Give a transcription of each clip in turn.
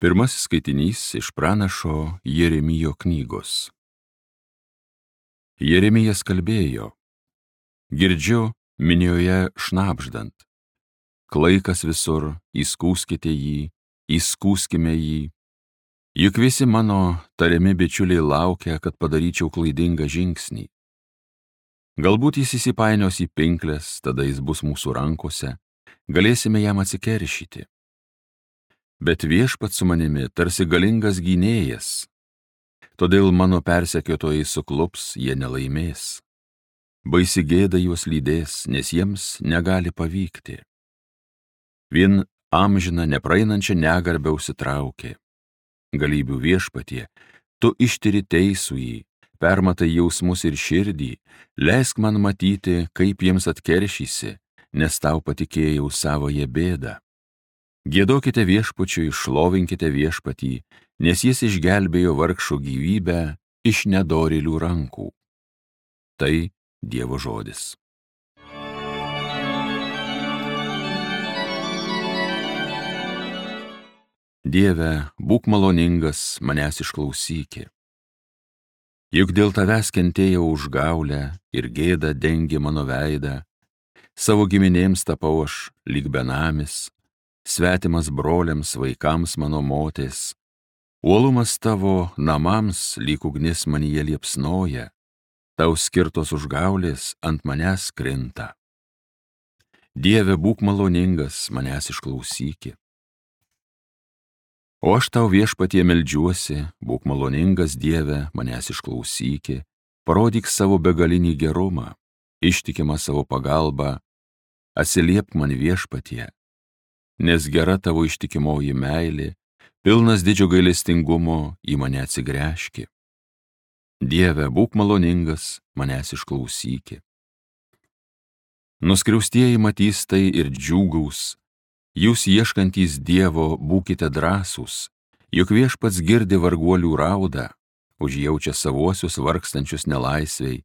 Pirmasis skaitinys iš pranašo Jeremijo knygos. Jeremijas kalbėjo, girdžiu minioje šnabždant. Klaikas visur, įskųskite jį, įskųskime jį. Juk visi mano tariami bičiuliai laukia, kad padaryčiau klaidingą žingsnį. Galbūt jis įsipainios į pinkles, tada jis bus mūsų rankose, galėsime jam atsikeršyti. Bet Viešpats su manimi tarsi galingas gynėjas, todėl mano persekiotojai suklups, jie nelaimės. Baisi gėda juos lydės, nes jiems negali pavykti. Vien amžiną nepraeinančią negarbę užsitraukė. Galybių Viešpatie, tu ištiri teisųjį, permatai jausmus ir širdį, leisk man matyti, kaip jiems atkeršysi, nes tau patikėjau savoje bėdą. Giedokite Viešpačiui, šlovinkite Viešpatį, nes jis išgelbėjo vargšo gyvybę iš nedorėlių rankų. Tai Dievo žodis. Dieve, būk maloningas, manęs išklausyki. Juk dėl tavęs kentėjau užgaulę ir gėda dengė mano veidą, savo giminėms tapau aš lyg benamis, svetimas broliams, vaikams mano motės. Uolumas tavo namams lyg ugnis manyje liepsnoja, tau skirtos užgaulės ant manęs krinta. Dieve, būk maloningas, manęs išklausyki. O aš tau Viešpatie meldžiuosi, būk maloningas, Dieve, manęs išklausyki, parodyk savo begalinį gerumą, ištikimą savo pagalbą, atsiliepk man Viešpatie, nes gera tavo ištikimoji meilė, pilnas didžio gailestingumo į mane atsigręžki. Dieve, būk maloningas, manęs išklausyki. Nuskriaustieji matys tai ir džiūgaus, jūs ieškantys Dievo būkite drąsūs, juk Viešpats girdi varguolių raudą, užjaučia savuosius vargstančius nelaisvei,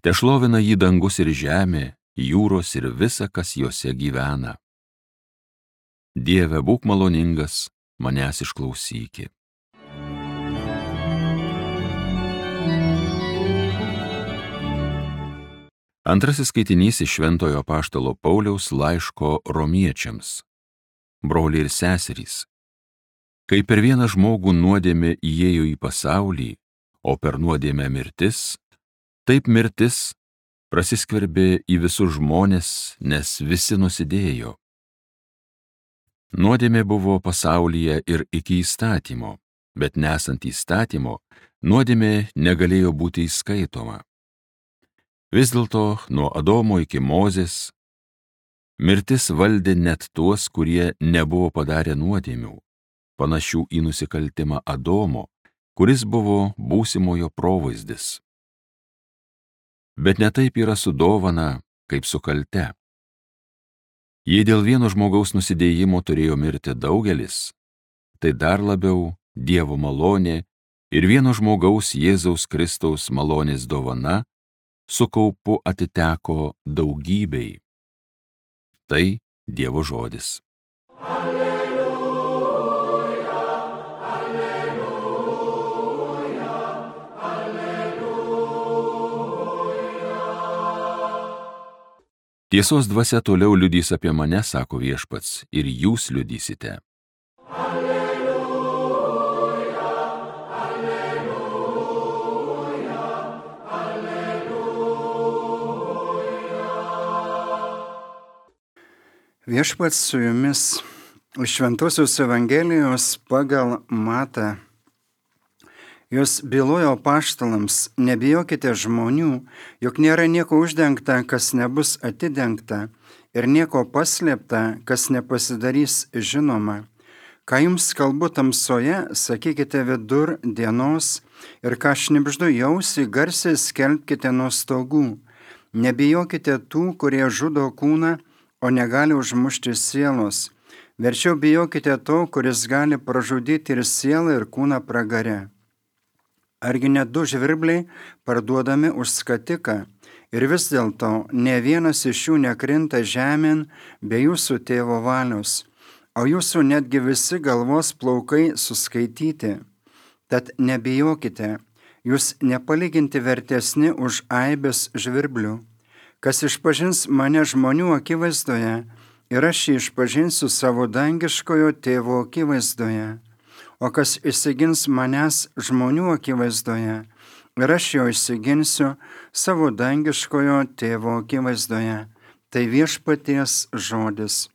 tešlovina jį dangus ir žemė, jūros ir visa, kas juose gyvena. Dieve, būk maloningas, manęs išklausyki. Antrasis skaitinys iš Šventojo apaštalo Pauliaus laiško Romiečiams. Broliai ir seserys, kai per vieną žmogų nuodėmė įėjo į pasaulį, o per nuodėmę mirtis, taip mirtis prasiskverbė į visus žmones, nes visi nusidėjo. Nuodėmė buvo pasaulyje ir iki įstatymo, bet nesant įstatymo, nuodėmė negalėjo būti įskaitoma. Vis dėlto nuo Adomo iki Mozės mirtis valdė net tuos, kurie nebuvo padarę nuodėmių, panašių į nusikaltimą Adomo, kuris buvo būsimojo provaizdis. Bet ne taip yra su dovana, kaip su kalte. Jei dėl vieno žmogaus nusidėjimo turėjo mirti daugelis, tai dar labiau Dievo malonė ir vieno žmogaus Jėzaus Kristaus malonės dovana su kaupu atiteko daugybei. Tai Dievo žodis. Alleluja, alleluja, alleluja. Tiesos dvasia toliau liudys apie mane, sako Viešpats, ir jūs liudysite. Alleluja, alleluja, alleluja. Viešpats su jumis iš Šventosios Evangelijos pagal Matą. Jos bylojo apaštalams, nebijokite žmonių, juk nėra nieko uždengta, kas nebus atidengta, ir nieko paslėpta, kas nepasidarys žinoma. Ką jums kalbu tamsoje, sakykite vidur dienos, ir ką šnibždu į ausį, garsiai skelbkite nuo stogų. Nebijokite tų, kurie žudo kūną, o negali užmušti sielos. Verčiau bijokite to, kuris gali pražudyti ir sielą, ir kūną pragare. Argi net 2 žvirbliai parduodami už skatiką, ir vis dėlto ne vienas iš jų nekrinta žemėn be jūsų tėvo valios. o jūsų netgi visi galvos plaukai suskaityti. Tad nebijokite, jūs nepalyginti vertesni už aibės žvirblių. Kas išpažins mane žmonių akivaizdoje, ir aš jį išpažinsiu savo dangiškojo tėvo akivaizdoje. O kas išsigins manęs žmonių akivaizdoje, ir aš jo išsiginsiu savo dangiškojo tėvo akivaizdoje. Tai viešpaties žodis.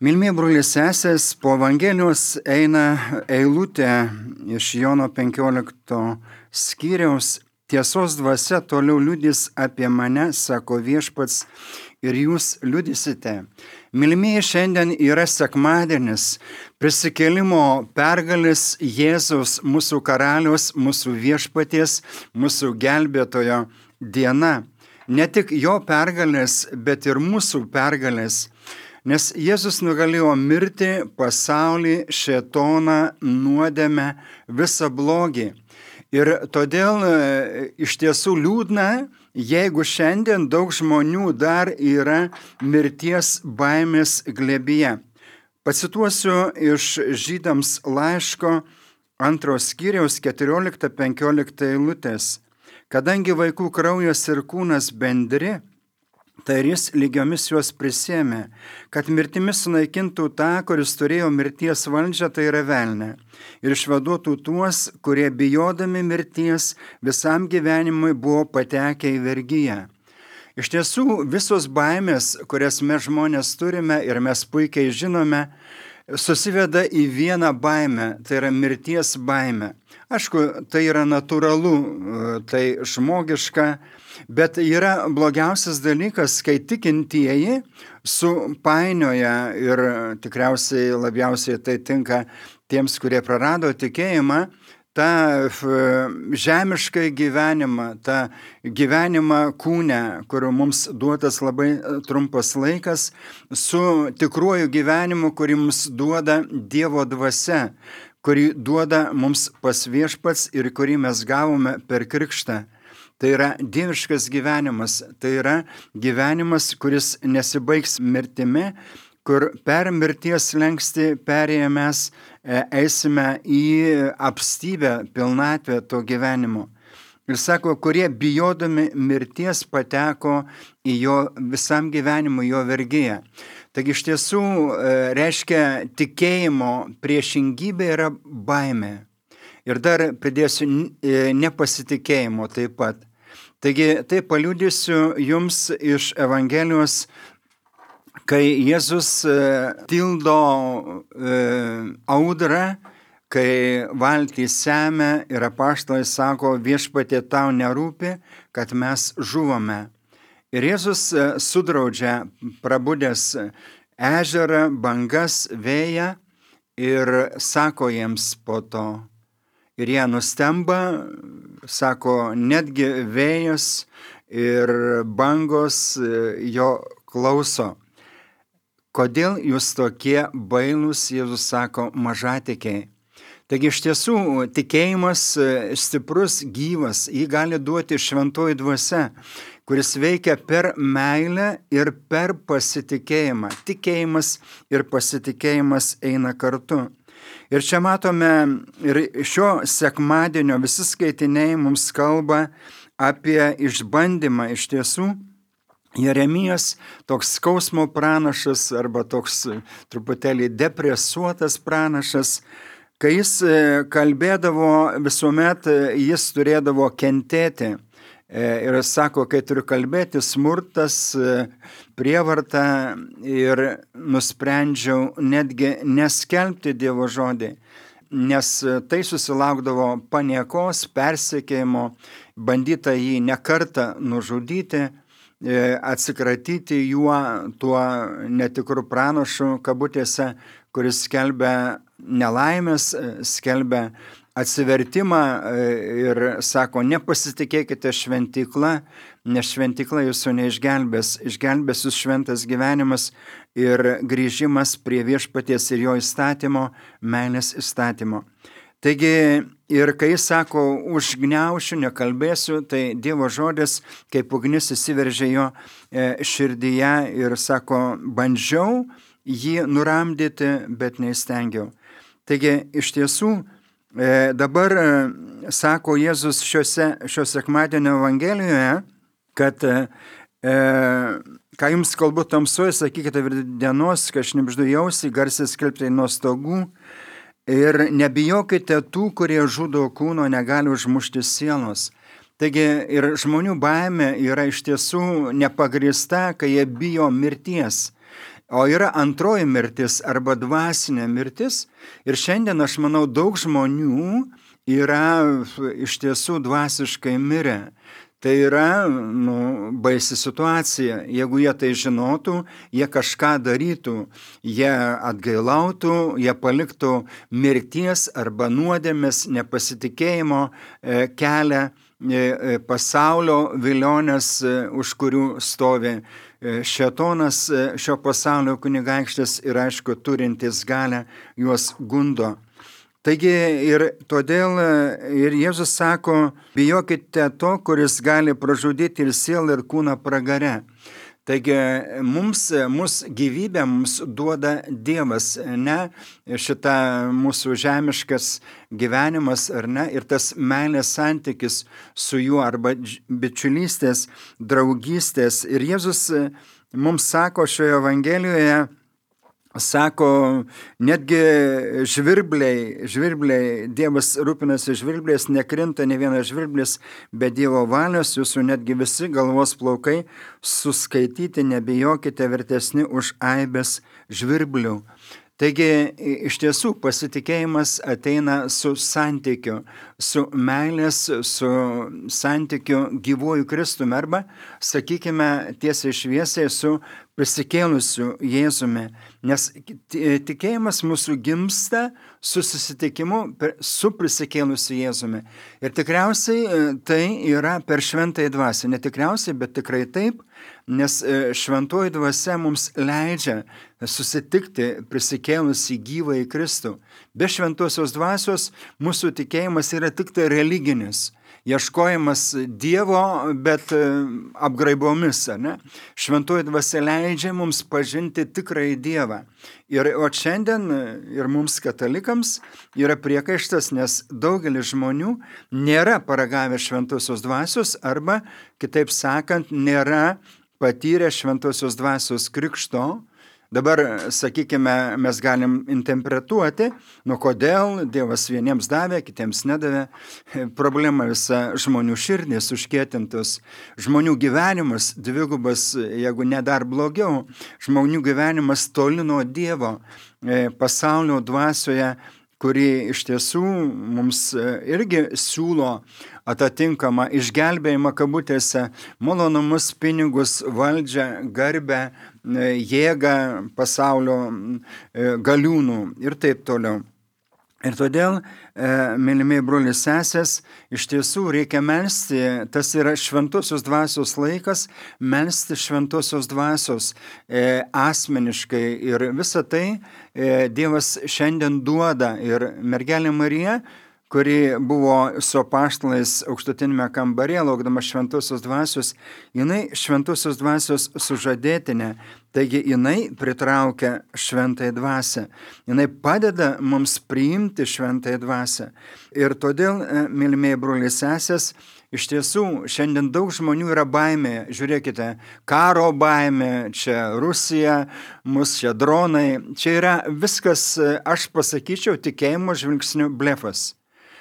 Mylimieji broliai sesės, po Evangelijos eina eilutė iš Jono 15 skyriaus. Tiesos dvasia toliau liudys apie mane, sako viešpats, ir jūs liudysite. Mylimieji, šiandien yra sekmadienis, prisikėlimo pergalės Jėzaus, mūsų karaliaus, mūsų viešpaties, mūsų gelbėtojo diena. Ne tik jo pergalės, bet ir mūsų pergalės. Nes Jėzus nugalėjo mirtį, pasaulį, šėtoną, nuodėmę, visą blogį. Ir todėl iš tiesų liūdna, jeigu šiandien daug žmonių dar yra mirties baimės glėbyje. Pacituosiu iš Žydams laiško 2 skyriaus 14-15 eilutės. Kadangi vaikų kraujas ir kūnas bendri, tai ir jis lygiomis juos prisėmė, kad mirtimis sunaikintų tą, kuris turėjo mirties valdžią, tai yra velnę, ir išvaduotų tuos, kurie bijodami mirties visam gyvenimui buvo patekę į vergiją. Iš tiesų, visos baimės, kurias mes žmonės turime ir mes puikiai žinome, susiveda į vieną baimę, tai yra mirties baimė. Aišku, tai yra natūralu, tai žmogiška, bet yra blogiausias dalykas, kai tikintieji supainioja, ir tikriausiai labiausiai tai tinka tiems, kurie prarado tikėjimą, tą žemišką gyvenimą, tą gyvenimą kūne, kurio mums duotas labai trumpas laikas, su tikruoju gyvenimu, kurį mums duoda Dievo dvasia, kurį duoda mums pas viešpats ir kurį mes gavome per krikštą. Tai yra dieviškas gyvenimas, tai yra gyvenimas, kuris nesibaigs mirtimi, kur per mirties slenkstį perėję mes eisime į apstybę, pilnatvę to gyvenimo. Ir sako, kurie bijodami mirties pateko į jo visam gyvenimui, jo vergiją. Taigi iš tiesų reiškia tikėjimo priešingybė yra baimė. Ir dar pridėsiu nepasitikėjimo taip pat. Taigi tai paliudysiu jums iš Evangelijos, kai Jėzus tildo audrą, kai valtį semia ir apaštalai sako, viešpatie tau nerūpi, kad mes žuvome. Ir Jėzus sudraudžia prabudęs ežerą, bangas, vėją ir sako jiems po to. Ir jie nustemba, sako, netgi vėjas ir bangos jo klauso. Kodėl jūs tokie bailūs, Jėzus sako, mažatikiai? Taigi iš tiesų tikėjimas stiprus, gyvas, jį gali duoti šventoji dvasia, kuris veikia per meilę ir per pasitikėjimą. Tikėjimas ir pasitikėjimas eina kartu. Ir čia matome, ir šio sekmadienio visi skaitiniai mums kalba apie išbandymą. Iš tiesų, Jeremijas, toks skausmo pranašas arba toks truputėlį depresuotas pranašas, kai jis kalbėdavo, visuomet jis turėdavo kentėti. Ir sako, kai turiu kalbėti, smurtas, prievarta, ir nusprendžiau netgi neskelbti Dievo žodį, nes tai susilaukdavo paniekos, persekiojimo, bandyta jį nekartą nužudyti, atsikratyti juo, tuo netikru pranašu, kabutėse, kuris skelbia nelaimės, skelbia atsivertimą ir sako, nepasitikėkite šventykla, nes šventykla jūsų neišgelbės, išgelbės jūs šventas gyvenimas ir grįžimas prie viešpaties ir jo įstatymo, meilės įstatymo. Taigi ir kai sako, užgniaušiu, nekalbėsiu, tai Dievo žodis, kaip ugnis įsiveržė jo širdyje ir sako, bandžiau jį nuramdyti, bet neįstengiau. Taigi iš tiesų dabar sako Jėzus šio sekmadienio Evangelijoje, kad ką jums kalbu tamsoje, sakykite dienos, kai šnibždu į ausį, garsiai skelbti nuo stogų. Ir nebijokite tų, kurie žudo kūno, negali užmušti sielos. Taigi ir žmonių baimė yra iš tiesų nepagrįsta, kai jie bijo mirties. O yra antroji mirtis arba dvasinė mirtis. Ir šiandien, aš manau, daug žmonių yra iš tiesų dvasiškai mirę. Tai yra baisi situacija. Jeigu jie tai žinotų, jie kažką darytų, jie atgailautų, jie paliktų mirties arba nuodėmės, nepasitikėjimo kelią, pasaulio vilionės, už kurių stovi šėtonas, šio pasaulio kunigaikštis ir aišku turintis galę juos gundo. Taigi ir todėl ir Jėzus sako, bijokite to, kuris gali pražudyti ir sielą, ir kūną pragare. Taigi mūsų gyvybę mums duoda Dievas, ne šita mūsų žemiškas gyvenimas, ar ne, ir tas meilės santykis su juo, arba bičiulystės, draugystės. Ir Jėzus mums sako šioje Evangelijoje, sako, netgi žvirbliai, Dievas rūpinasi žvirbliais, nekrinta ne vienas žvirblis be Dievo valios, jūsų netgi visi galvos plaukai suskaityti, nebijokite, vertesni už aibės žvirblių. Taigi, iš tiesų, pasitikėjimas ateina su santykiu, su meilės, su santykiu gyvuoju Kristumi, arba, sakykime, tiesiai šviesiai su prisikėlusiu Jėzumi. Nes tikėjimas mūsų gimsta su susitikimu su prisikėlusiu Jėzumi. Ir tikriausiai tai yra per šventąją dvasią. Ne tikriausiai, bet tikrai taip, nes šventoji dvasia mums leidžia susitikti prisikėlusį gyvąjį Kristų. Be šventosios dvasios mūsų tikėjimas yra tik tai religinis. Ieškojimas Dievo, bet apgraibomis, ne? Šventoji dvasia leidžia mums pažinti tikrąjį Dievą. O šiandien ir mums katalikams yra priekaištas, nes daugelis žmonių nėra paragavę šventosios dvasios arba, kitaip sakant, nėra patyrę šventosios dvasios krikšto. Dabar, sakykime, mes galim interpretuoti, kodėl Dievas vieniems davė, kitiems nedavė. Problema visa žmonių širdys užkietintos, žmonių gyvenimas dvigubas, jeigu ne dar blogiau, žmonių gyvenimas toli nuo Dievo, pasaulio dvasioje, kuri iš tiesų mums irgi siūlo atitinkamą išgelbėjimą kabutėse, malonumus, pinigus, valdžią, garbę, jėgą pasaulio galiūnų ir taip toliau. Ir todėl, mylimieji broliai sesės, iš tiesų reikia melsti, tas yra šventosios dvasios laikas, melsti šventosios dvasios asmeniškai. Ir visą tai Dievas šiandien duoda. Ir mergelė Marija, kuri buvo su apaštalais aukštutinėme kambaryje, laukdama šventosios dvasios, jinai šventosios dvasios sužadėtinė, taigi jinai pritraukia šventąją dvasią, jinai padeda mums priimti šventąją dvasią. Ir todėl, mylimieji broliai sesės, iš tiesų šiandien daug žmonių yra baimė, žiūrėkite, karo baimė, čia Rusija, mus čia dronai, čia yra viskas, aš pasakyčiau, tikėjimo žvilgsnių blefas.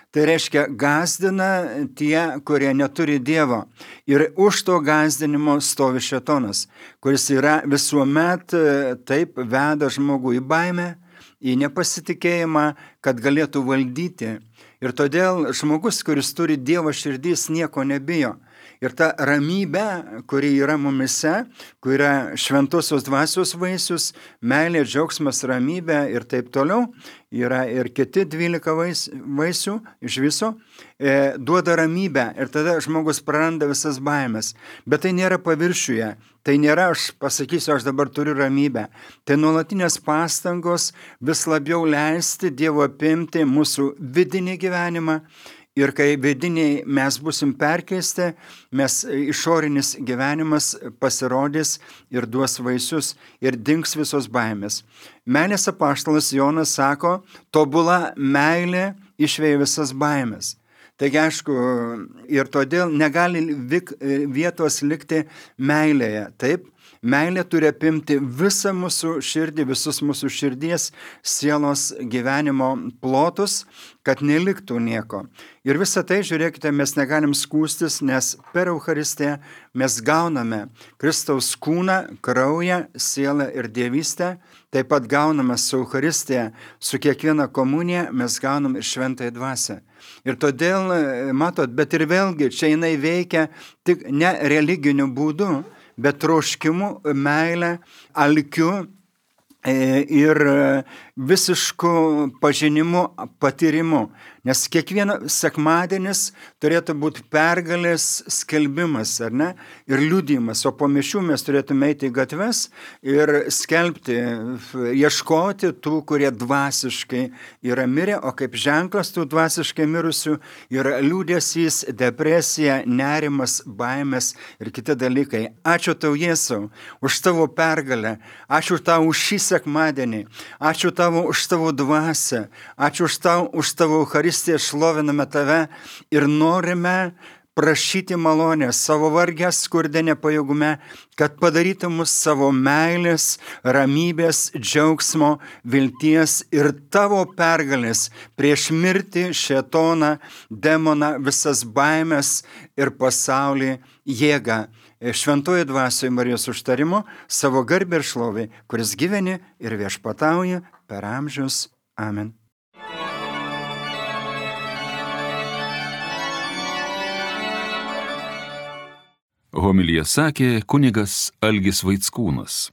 Tai reiškia, gąsdina tie, kurie neturi Dievo. Ir už to gąsdinimo stovi šėtonas, kuris yra visuomet taip veda žmogų į baimę, į nepasitikėjimą, kad galėtų valdyti. Ir todėl žmogus, kuris turi Dievo širdys, nieko nebijo. Ir ta ramybė, kuri yra mumise, kuri yra šventosios dvasios vaisius, meilė, džiaugsmas, ramybė ir taip toliau, yra ir kiti 12 vaisių iš viso, duoda ramybę ir tada žmogus praranda visas baimės. Bet tai nėra paviršiuje, tai nėra aš pasakysiu, aš dabar turiu ramybę. Tai nuolatinės pastangos vis labiau leisti Dievo apimti mūsų vidinį gyvenimą. Ir kai vidiniai mes busim perkeisti, mes išorinis gyvenimas pasirodys ir duos vaisius ir dings visos baimės. Meilės apaštalas Jonas sako, tobula meilė išveja visas baimės. Taigi aišku, ir todėl negali vietos likti meilėje, taip? Meilė turi apimti visą mūsų širdį, visus mūsų širdies, sielos gyvenimo plotus, kad neliktų nieko. Ir visą tai, žiūrėkite, mes negalim skūstis, nes per Eucharistiją mes gauname Kristaus kūną, kraują, sielą ir dievystę, taip pat gauname su Eucharistija, su kiekviena komunija mes gaunam ir šventąją dvasią. Ir todėl, matot, bet ir vėlgi, čia jinai veikia tik ne religiniu būdu, bet troškimu, meilę, alkiu ir visišku pažinimu, patyrimu. Nes kiekvienas sekmadienis turėtų būti pergalės skelbimas, ar ne? Ir liudijimas. O po mišių mes turėtume eiti į gatves ir skelbti, ieškoti tų, kurie dvasiškai yra mirę, o kaip ženklas tų dvasiškai mirusių yra liūdesys, depresija, nerimas, baimės ir kiti dalykai. Ačiū tau, Jėzau, už tavo pergalę. Ačiū tau už šį sekmadienį. Ačiū tau už tavo dvasią. Ačiū už tavo Eucharistiją. Šloviname tave ir norime prašyti malonės savo vargę, skurde, nepajėgume, kad padarytum mus savo meilės, ramybės, džiaugsmo, vilties ir tavo pergalės prieš mirtį, šėtoną, demoną, visas baimės ir pasaulį jėgą. Šventoji dvasioje Marijos užtarimo savo garbę ir šlovę, kuris gyveni ir viešpatauja per amžius. Amen. Homiliją sakė kunigas Algis Vaickūnas.